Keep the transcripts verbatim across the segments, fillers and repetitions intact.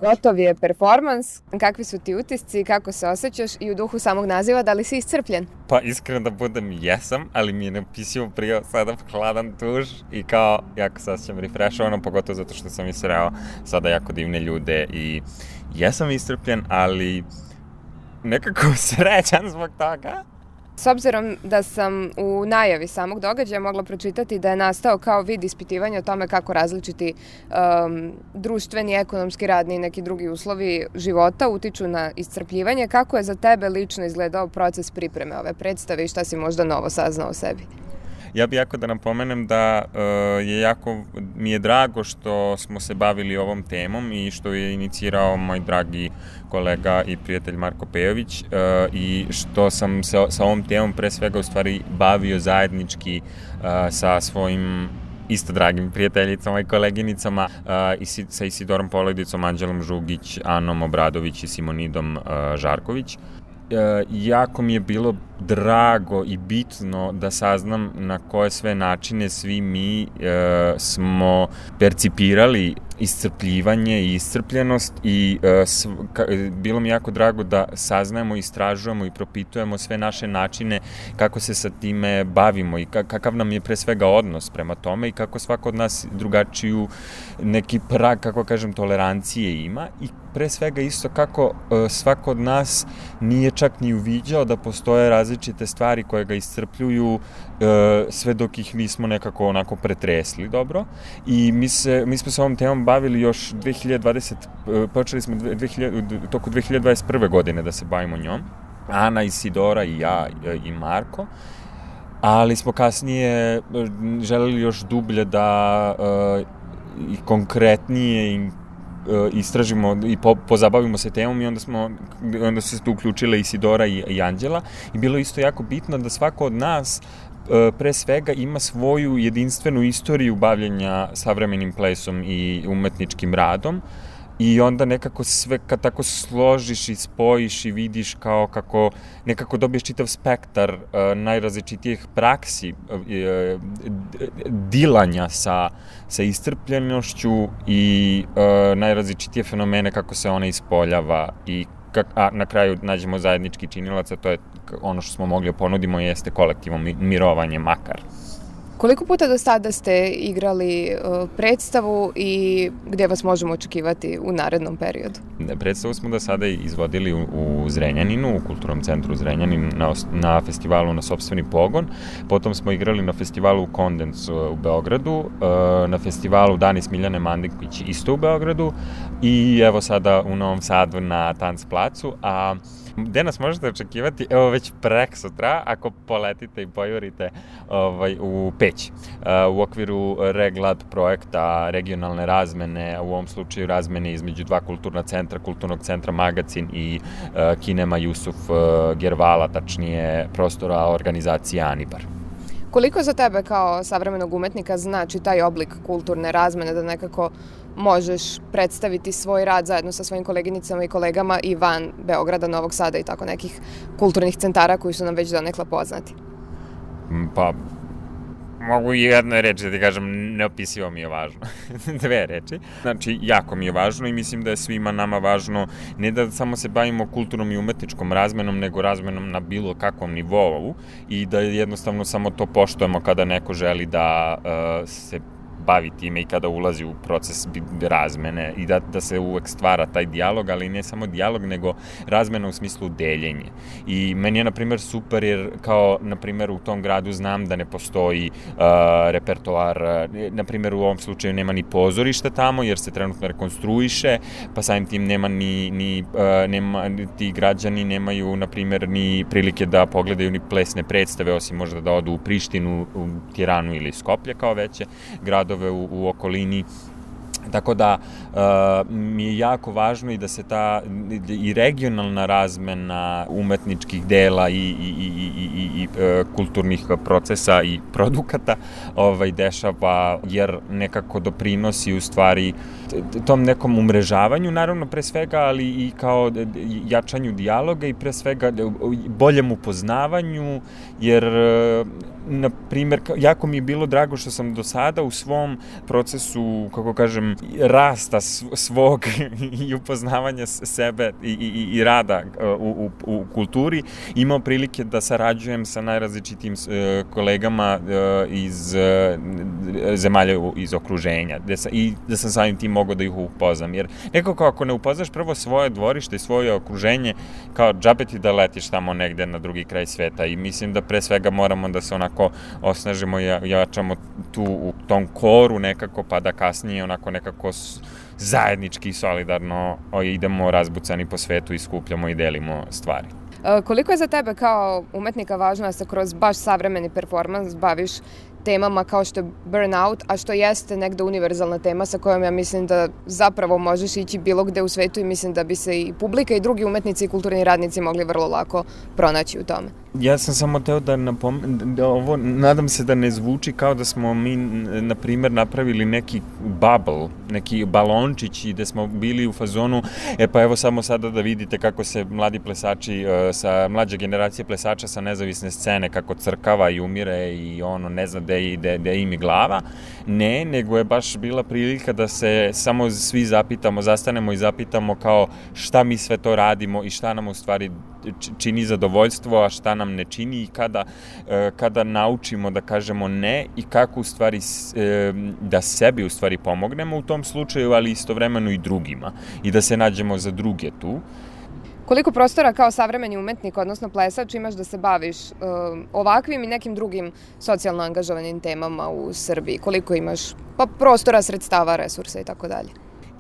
Gotov je performans, kakvi su ti utisci, kako se osjećaš i u duhu samog naziva, da li si iscrpljen? Pa iskreno da budem, jesam, ali mi je neopisivo prijao sada hladan tuš i kao jako se osjećam refrešovano, pogotovo zato što sam i sreo sada jako divne ljude i jesam iscrpljen, ali nekako srećan zbog toga. S obzirom da sam u najavi samog događaja mogla pročitati da je nastao kao vid ispitivanja o tome kako različiti um, društveni, ekonomski, radni i neki drugi uslovi života utiču na iscrpljivanje, kako je za tebe lično izgledao proces pripreme ove predstave i šta si možda novo saznao o sebi? Ja bih jako da napomenem da uh, je jako, mi je drago što smo se bavili ovom temom i što je inicirao moj dragi kolega i prijatelj Marko Pejović uh, i što sam se sa ovom temom pre svega u stvari bavio zajednički uh, sa svojim isto dragim prijateljicama i koleginicama uh, i si, sa Isidorom Polojdicom, Anđelom Žugić, Anom Obradović i Simonidom uh, Žarković. E, jako mi je bilo drago i bitno da saznam na koje sve načine svi mi e, smo percipirali iscrpljivanje i iscrpljenost i e, sv, ka, bilo mi jako drago da saznajemo, istražujemo i propitujemo sve naše načine kako se sa time bavimo i kakav nam je pre svega odnos prema tome i kako svako od nas drugačiju neki prag, kako kažem, tolerancije ima i pre svega isto kako e, svako od nas nije čak ni uviđao da postoje različite stvari koje ga iscrpljuju e, sve dok ih nismo nekako onako pretresli dobro i mi, se, mi smo se ovom temom bavili još dve hiljade dvadesete. Počeli smo dve hiljade, toku dve hiljade dvadeset prve godine da se bavimo njom. Ana, Isidora i ja i Marko. Ali smo kasnije želeli još dublje da e, i konkretnije i istražimo i po, pozabavimo se temom i onda smo onda su se tu uključile Isidora i, i Anđela i bilo isto jako bitno da svako od nas pre svega ima svoju jedinstvenu istoriju bavljenja savremenim plesom i umetničkim radom i onda nekako sve kad tako složiš i spojiš i vidiš kao kako nekako dobiješ čitav spektar uh, najrazličitijih praksi uh, dilanja sa, sa iscrpljenošću i uh, najrazličitije fenomene kako se ona ispoljava i kak, a na kraju nađemo zajednički činilac, a to je ono što smo mogli ponudimo jeste kolektivno mirovanje makar. Koliko puta do sada ste igrali uh, predstavu i gdje vas možemo očekivati u narednom periodu? Predstavu smo do sada izvodili u, u Zrenjaninu, u Kulturnom centru Zrenjanin, na, na festivalu Na sopstveni pogon. Potom smo igrali na festivalu Kondens u Beogradu, uh, na festivalu Dani Smiljane Mandikić isto u Beogradu i evo sada u Novom Sadu na Tanc placu, a gde nas možete očekivati? Evo već prek sutra, ako poletite i pojurite ovaj, u Peć. Uh, u okviru Reglad projekta regionalne razmene, u ovom slučaju razmene između dva kulturna centra, Kulturnog centra Magacin i uh, Kinema Jusuf uh, Gervala, tačnije prostora organizacije Anibar. Koliko za tebe kao savremenog umetnika znači taj oblik kulturne razmene da nekako možeš predstaviti svoj rad zajedno sa svojim koleginicama i kolegama i van Beograda, Novog Sada i tako nekih kulturnih centara koji su nam već donekle poznati? Pa, mogu i jednoj reči da ti kažem, neopisivo mi je važno. Dve reči. Znači, jako mi je važno i mislim da je svima nama važno ne da samo se bavimo kulturnom i umetničkom razmenom, nego razmenom na bilo kakvom nivou i da jednostavno samo to poštujemo kada neko želi da uh, se bavi time i kada ulazi u proces razmene i da, da se uvek stvara taj dijalog, ali ne samo dijalog, nego razmena u smislu deljenje. I meni je, na primjer, super jer kao, na primjer, u tom gradu znam da ne postoji uh, repertoar, uh, na primjer, u ovom slučaju nema ni pozorišta tamo, jer se trenutno rekonstruiše, pa samim tim nema ni, ni uh, nema, ti građani nemaju, na primjer, ni prilike da pogledaju ni plesne predstave, osim možda da odu u Prištinu, u Tiranu ili Skoplje kao veće gradove U, u okolini. Tako da uh, mi je jako važno i da se ta i regionalna razmena umetničkih dela i, i, i, i, i, i uh, kulturnih procesa i produkata ovaj, dešava, jer nekako doprinosi u stvari tom nekom umrežavanju, naravno pre svega, ali i kao jačanju dijaloga i pre svega boljem upoznavanju, jer uh, na primjer, jako mi je bilo drago što sam do sada u svom procesu, kako kažem, rasta svog i upoznavanja sebe i, i, i rada u, u, u kulturi imao prilike da sarađujem sa najrazličitim kolegama iz zemalja iz okruženja i da sam samim tim mogao da ih upoznam. Jer nekako ako ne upoznaš prvo svoje dvorište i svoje okruženje, kao džabe ti da letiš tamo negde na drugi kraj sveta i mislim da pre svega moramo da se onako osnažimo i jačamo tu u tom koru nekako, pa da kasnije onako nekako zajednički i solidarno idemo razbucani po svetu i skupljamo i delimo stvari. Koliko je za tebe kao umetnika važno da se kroz baš savremeni performans baviš temama kao što je burnout, a što jeste negde univerzalna tema sa kojom ja mislim da zapravo možeš ići bilo gde u svetu i mislim da bi se i publika i drugi umetnici i kulturni radnici mogli vrlo lako pronaći u tome. Ja sam samo teo da napomenem, da ovo, nadam se da ne zvuči kao da smo mi, na primer, napravili neki bubble, neki balončić i da smo bili u fazonu, e pa evo samo sada da vidite kako se mladi plesači, sa mlađe generacije plesača sa nezavisne scene, kako crkava i umire i ono, ne zna gde, gde, gde im je glava. Ne, nego je baš bila prilika da se samo svi zapitamo, zastanemo i zapitamo kao šta mi sve to radimo i šta nam u stvari čini zadovoljstvo, a šta nam ne čini i kada, kada naučimo da kažemo ne i kako u stvari da sebi u stvari pomognemo u tom slučaju, ali istovremeno i drugima i da se nađemo za druge tu. Koliko prostora kao savremeni umetnik, odnosno plesač, imaš da se baviš um, ovakvim i nekim drugim socijalno angažovanim temama u Srbiji? Koliko imaš pa, prostora, sredstava, resursa i tako dalje?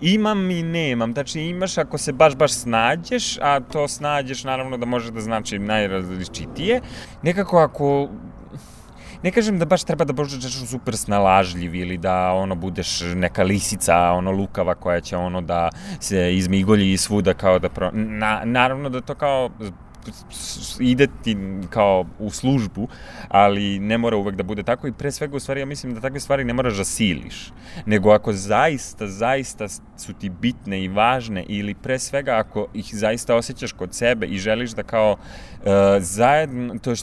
Imam i nemam, znači imaš ako se baš baš snađeš, a to snađeš naravno da može da znači najrazličitije. Nekako ako, ne kažem da baš treba da budeš super snalažljiv ili da ono budeš neka lisica, ono lukava koja će ono da se izmigolji svuda kao da pro... Na, naravno da to kao ide ti kao u službu, ali ne mora uvek da bude tako i pre svega u stvari ja mislim da takve stvari ne moraš da siliš, nego ako zaista, zaista su ti bitne i važne ili pre svega ako ih zaista osjećaš kod sebe i želiš da kao uh, zajedno, to,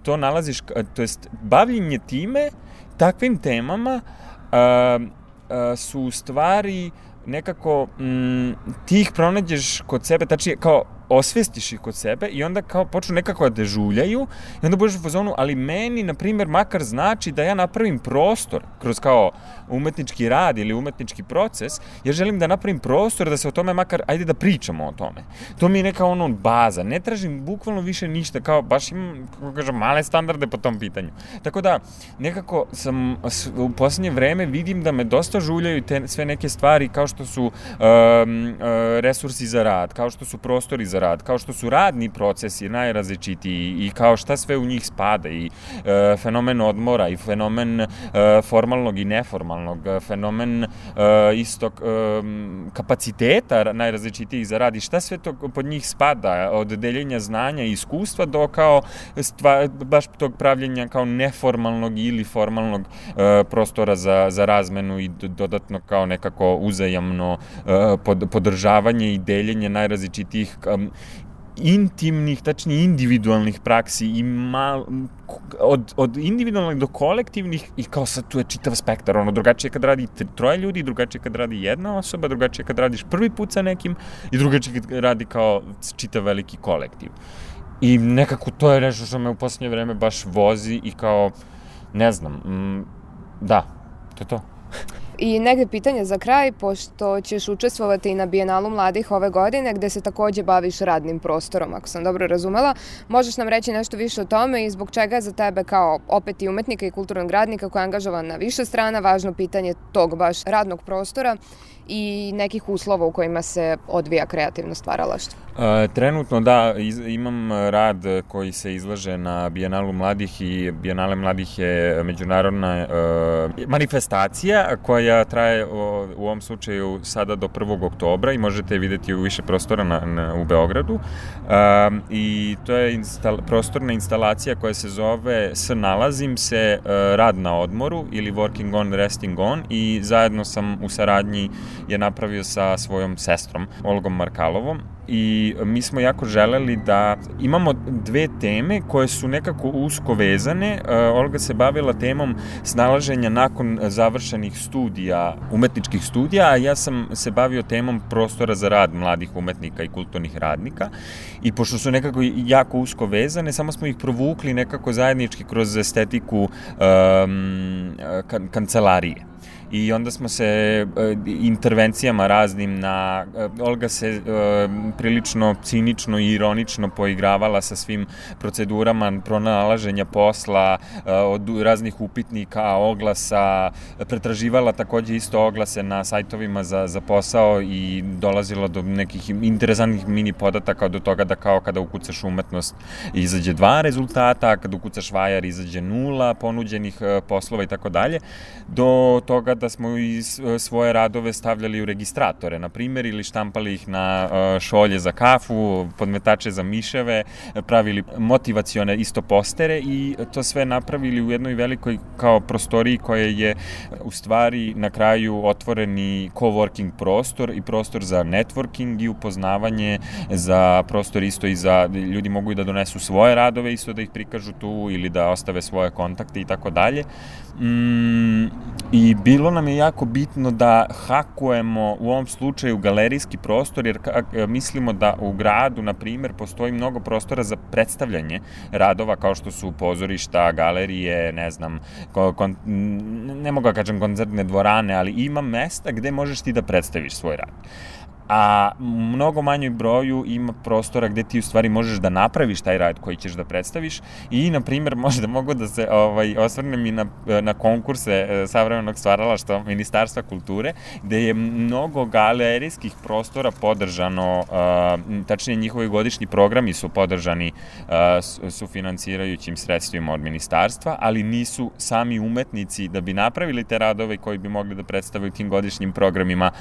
to nalaziš, to jest bavljenje time, takvim temama uh, uh, su u stvari nekako mm, ti ih pronađeš kod sebe, tačnije kao osvestiš ih kod sebe i onda kao počnu nekako da dežuljaju i onda budeš u fazonu, ali meni, na primjer, makar znači da ja napravim prostor kroz kao umetnički rad ili umetnički proces, ja želim da napravim prostor da se o tome makar, ajde da pričamo o tome. To mi je neka ono baza, ne tražim bukvalno više ništa, kao baš imam, kako kažem, male standarde po tom pitanju. Tako da, nekako sam u poslednje vreme vidim da me dosta žuljaju te sve neke stvari kao što su um, uh, resursi za rad, kao što su prostori za rad, kao što su radni procesi najrazličitiji i kao šta sve u njih spada i e, fenomen odmora i fenomen e, formalnog i neformalnog, fenomen e, istog e, kapaciteta najrazličitijih za rad i šta sve to pod njih spada, od deljenja znanja i iskustva do kao stva, baš tog pravljenja kao neformalnog ili formalnog e, prostora za, za razmenu i dodatno kao nekako uzajamno e, pod, podržavanje i deljenje najrazličitijih intimnih, tačnije individualnih praksi i mal, od, od individualnih do kolektivnih i kao sad tu je čitav spektar, ono drugačije kad radi troje ljudi, drugačije kad radi jedna osoba, drugačije kad radiš prvi put sa nekim i drugačije kad radi kao čitav veliki kolektiv. I nekako to je nešto što me u posljednje vreme baš vozi i kao, ne znam, mm, da, to je to. I negde pitanje za kraj, pošto ćeš učestvovati i na Bijenalu mladih ove godine, gde se takođe baviš radnim prostorom, ako sam dobro razumela. Možeš nam reći nešto više o tome i zbog čega je za tebe kao opet i umetnika i kulturnog radnika koji je angažovan na više strana važno pitanje tog baš radnog prostora i nekih uslova u kojima se odvija kreativno stvaralaštvo? E, trenutno da, iz, imam rad koji se izlaže na Bijenalu mladih i Bijenale mladih je međunarodna e, manifestacija koja traje o, u ovom slučaju sada do prvog oktobra i možete je videti u više prostora na, na, u Beogradu. E, I to je instal, prostorna instalacija koja se zove S nalazim se e, rad na odmoru ili Working on, Resting on i zajedno sam u saradnji je napravio sa svojom sestrom, Olgom Markalovom. i mi smo jako želeli da imamo dve teme koje su nekako usko vezane. Olga se bavila temom snalaženja nakon završenih studija, umetničkih studija, a ja sam se bavio temom prostora za rad mladih umetnika i kulturnih radnika. I pošto su nekako jako usko vezane, samo smo ih provukli nekako zajednički kroz estetiku um, kan- kancelarije. I onda smo se e, intervencijama raznim na... E, Olga se e, prilično cinično i ironično poigravala sa svim procedurama pronalaženja posla, e, od raznih upitnika, oglasa, pretraživala takođe isto oglase na sajtovima za, za posao i dolazila do nekih interesantnih mini podataka do toga da kao kada ukucaš umetnost izađe dva rezultata, a kada ukucaš vajar izađe nula ponuđenih e, poslova i tako dalje, do toga da smo i svoje radove stavljali u registratore, na primjer, ili štampali ih na šolje za kafu, podmetače za miševe, pravili motivacione isto postere i to sve napravili u jednoj velikoj kao prostoriji koja je u stvari na kraju otvoreni coworking prostor i prostor za networking i upoznavanje, za prostor isto i za ljudi mogu i da donesu svoje radove, isto da ih prikažu tu ili da ostave svoje kontakte i tako dalje. Mm, i bilo nam je jako bitno da hakujemo u ovom slučaju galerijski prostor, jer mislimo da u gradu, na primjer, postoji mnogo prostora za predstavljanje radova kao što su pozorišta, galerije, ne znam, kon, ne mogu da kažem koncertne dvorane, ali ima mesta gde možeš ti da predstaviš svoj rad. A mnogo manjoj broju ima prostora gde ti u stvari možeš da napraviš taj rad koji ćeš da predstaviš i, na primjer, možda mogu da se ovaj, osvrnem i na, na konkurse e, savremenog stvaralaštva Ministarstva kulture, gde je mnogo galerijskih prostora podržano, e, tačnije njihovi godišnji programi su podržani e, sufinansirajućim sredstvima od ministarstva, ali nisu sami umetnici da bi napravili te radove koji bi mogli da predstavaju tim godišnjim programima,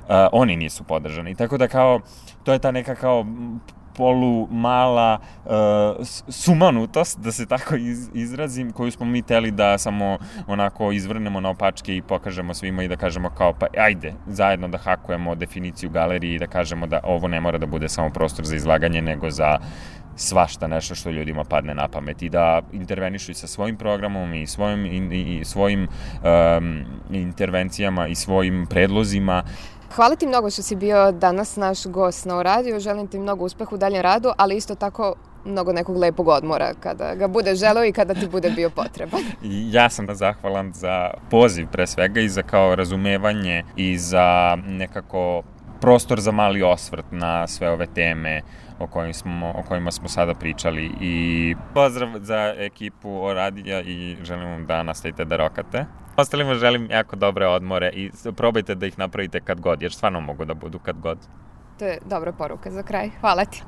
e, oni nisu podržani. I tako da kao, to je ta neka kao polu mala uh, sumanutost, da se tako iz, izrazim, koju smo mi teli da samo onako izvrnemo na opačke i pokažemo svima i da kažemo kao pa ajde, zajedno da hakujemo definiciju galerije i da kažemo da ovo ne mora da bude samo prostor za izlaganje, nego za svašta nešto što ljudima padne na pamet i da intervenišu i sa svojim programom i svojim, i, i svojim um, intervencijama i svojim predlozima. Hvala ti mnogo što si bio danas naš gost na radiju. Želim ti mnogo uspeha u daljem radu, ali isto tako mnogo nekog lepog odmora kada ga bude želeo i kada ti bude bio potreban. Ja sam zahvalan za poziv pre svega i za kao razumevanje i za nekako prostor za mali osvrt na sve ove teme o kojima smo, o kojima smo sada pričali. I pozdrav za ekipu Radija i želim vam da nastavite da rokate. Ostalima želim jako dobre odmore i probajte da ih napravite kad god, jer stvarno mogu da budu kad god. To je dobra poruka za kraj. Hvala ti.